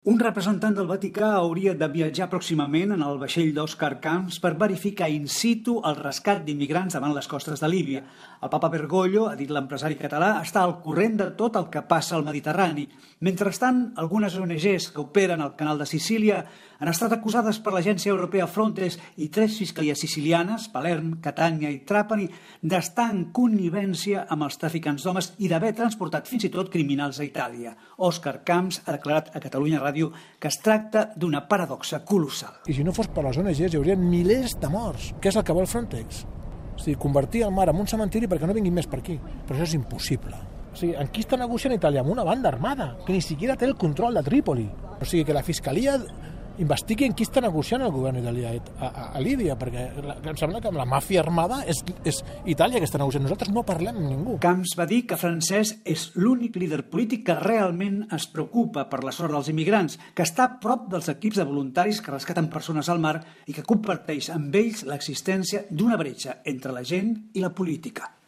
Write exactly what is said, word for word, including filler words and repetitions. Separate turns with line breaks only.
Un representant del Vaticà hauria de viatjar pròximament en el vaixell d'Òscar Camps per verificar in situ el rescat d'immigrants davant les costes de Líbia. El papa Bergoglio, ha dit l'empresari català, està al corrent de tot el que passa al Mediterrani. Mentrestant, algunes O N Ges que operen al canal de Sicília han estat acusades per l'agència europea Frontex i tres fiscalies sicilianes, Palerm, Catània i Trapani, d'estar en connivència amb els traficants d'homes i d'haver transportat fins i tot criminals a Itàlia. Òscar Camps ha declarat a Catalunya Ràdio que es tracta d'una paradoxa colossal.
I si no fos per les O N Ges hi haurien milers de morts. Què és el que vol Frontex? O sigui, convertir el mar en un cementiri perquè no vinguin més per aquí. Però això és impossible. O sigui, en qui està negociant Itàlia? Amb una banda armada, que ni siquiera té el control de Trípoli. O sigui, que la Fiscalia investigui en qui està negociant el govern italià a, a, a Líbia, perquè la, em sembla que amb la màfia armada és, és Itàlia que està negociant. Nosaltres no parlem amb ningú.
Camps va dir que Francesc és l'únic líder polític que realment es preocupa per la sort dels immigrants, que està a prop dels equips de voluntaris que rescaten persones al mar i que comparteix amb ells l'existència d'una bretxa entre la gent i la política.